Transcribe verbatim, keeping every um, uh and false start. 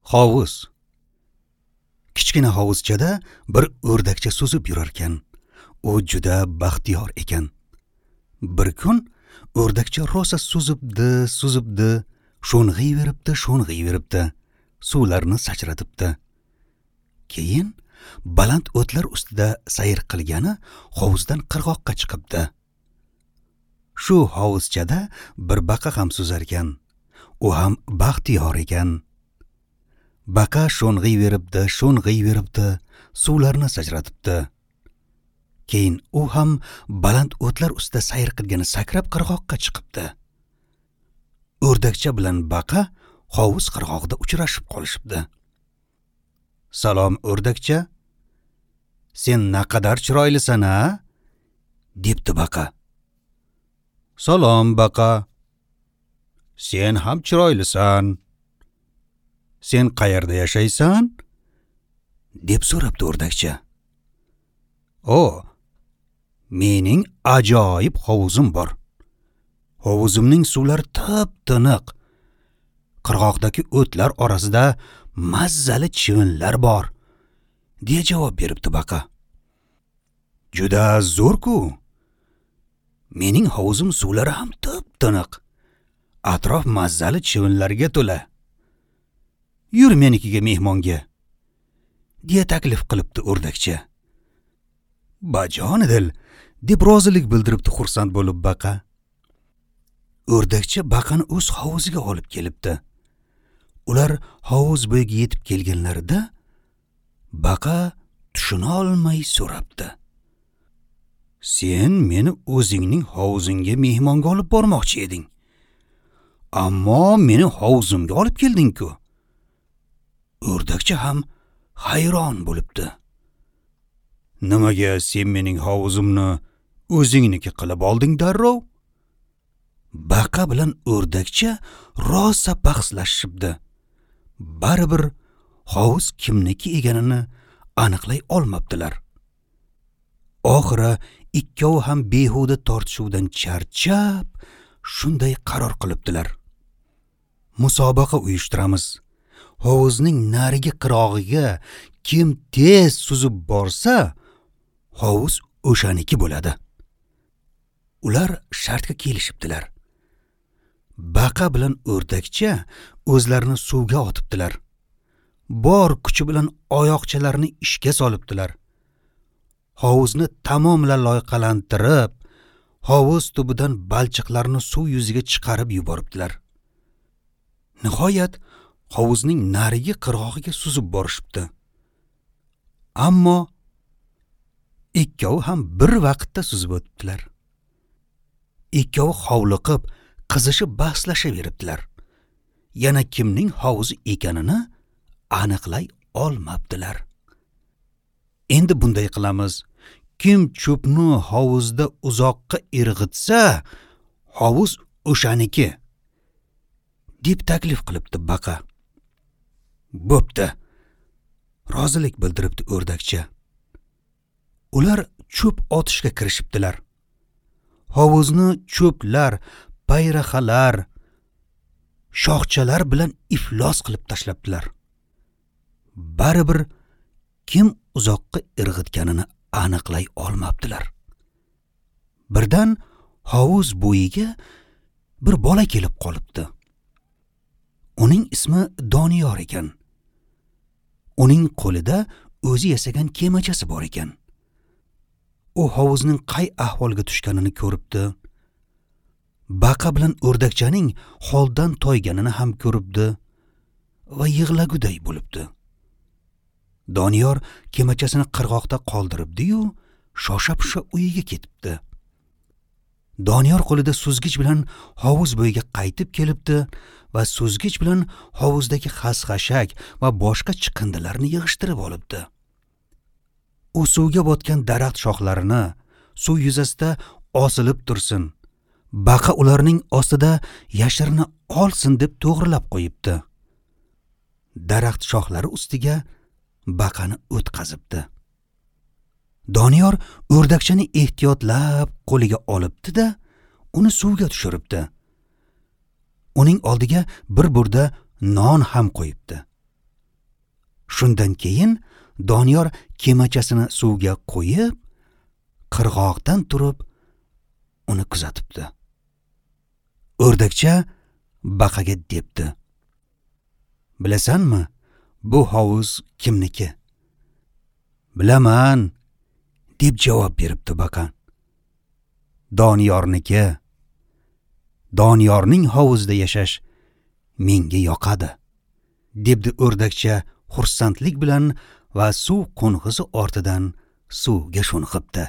Hovuz. Kichkina hovuzchada bir o'rdakcha suzib yurarkan. U juda baxtiyor ekan. Bir kun o'rdakcha rosa suzibdi, suzibdi, sho'ng'iyveribdi, sho'ng'iyveribdi, suvlarni sachratibdi. Keyin baland o'tlar ustida sayr qilgani hovuzdan qirg'oqqa chiqibdi. Shu hovuzchada bir baqa ham suzarkan. U ham baxtiyor ekan. Baqa sho'ng'iyveribdi, sho'ng'iyveribdi, suvlarni sachratibdi. Keyin u ham baland o'tlar ustida sayr qilgani sakrab qirg'oqqa chiqibdi. O'rdakcha bilan baqa hovuz qirg'og'ida uchrashib qolishibdi. "Salom, o'rdakcha. Sen naqadar chiroylisan-a?" debdi baqa. "Salom, baqa. Sen ham chiroylisan. Sen qayerda yashaysan?" deb so'rabdi o'rdakcha. "O, mening ajoyib hovuzim bor. Hovuzimning suvlari tip-tiniq. Qirg'oqdagi o'tlar orasida mazzali chivinlar bor," deya javob beribdi baqa. "Juda zo'r-ku. Mening hovuzim suvlari ham tip-tiniq. Atrof mazzali chivinlarga to'la. Yur menikiga mehmonga," deya taklif qilibdi o'rdakcha. "Bajonidil," deb rozilik bildiribdi xursand bo'lib baqa. O'rdakcha baqani o'z hovuziga olib kelibdi. Ular hovuz bo'yiga yetib kelganlarida baqa tushuna olmay so'rabdi. "Sen meni o'zingning hovuzingga mehmonga olib bormoqchi eding. Ammo meni hovuzimga olib kelding-ku." O'rdakcha ham hayron bo'libdi. "Nimaga sen mening hovuzimni o'zingniki qilib olding darrov?" Baqa bilan o'rdakcha rosa bahslashibdi. Baribir hovuz kimniki ekanini aniqlay olmabdilar. Oxiri ikkovi ham behuda tortishuvdan charchab, shunday qaror qilibdilar. Musobaqa uyushtiramiz. Hovuzning narigi qirg'og'iga kim tez suzib borsa, hovuz o'shaniki bo'ladi. Ular shartga kelishibdilar. Baqa bilan o'rdakcha o'zlarini suvga otibdilar. Bor kuchi bilan oyoqchalarini ishga solibdilar. Hovuzni tamomila loyqalantirib, hovuz tubidan balchiqlarni suv yuziga chiqarib yuboribdilar. Nihoyat hovuzning narigi qirg'og'iga suzib borishibdi. Ammo ikkovi ham bir vaqtda suzib o'tibdilar. Ikkovi hovliqib, qizishib bahslashaveribdilar. Yana kimning hovuzi ekanini aniqlay olmabdilar. Endi bunday qilamiz. Kim cho'pni hovuzda uzoqqa irg'itsa, hovuz o'shaniki, deb taklif qilibdi baqa. "Bo'pti," rozilik bildiribdi o'rdakcha. Ular cho'p otishga kirishibdilar. Hovuzni cho'plar, payrahalar, shoxchalar bilan iflos qilib tashlabdilar. Baribir kim uzoqqa irg'itganini aniqlay olmabdilar. Birdan hovuz bo'yiga bir bola kelib qolibdi. Uning ismi Doniyor ekan. Uning qo'lida o'zi yasagan kemachasi bor ekan. U hovuzning qay ahvolga tushganini ko'ribdi. Baqa bilan o'rdakchaning holdan toyganini ham ko'ribdi va yig'laguday bo'libdi. Doniyor kemachasini qirg'oqda qoldiribdi-yu, shosha-pisha uyiga ketibdi. Doniyor qo'lida suzgich bilan hovuz bo'yiga qaytib kelibdi va suzgich bilan hovuzdagi xas-xashak va boshqa chiqindilarni yig'ishtirib olibdi. U suvga botgan daraxt shoxlarini suv yuzasida osilib tursin, baqa ularning ostida yashirina olsin deb to'g'rilab qo'yibdi. Daraxt shoxlari ustiga baqani o'tqazibdi. Doniyor o'rdakchani ehtiyotlab qo'liga olibdi-da, uni suvga tushiribdi. Uning oldiga bir burda non ham qo'yibdi. Shundan keyin Doniyor kemachasini suvga qo'yib, qirg'oqdan turib uni kuzatibdi. O'rdakcha baqaga debdi: "Bilasanmi, bu hovuz kimniki?" "Bilaman", deb javob beribdi baqa. "Doniyorniki. Doniyorning hovuzida yashash menga yoqadi", debdi o'rdakcha xursandlik bilan va suv qo'ng'izi ortidan suvga sho'ng'ibdi.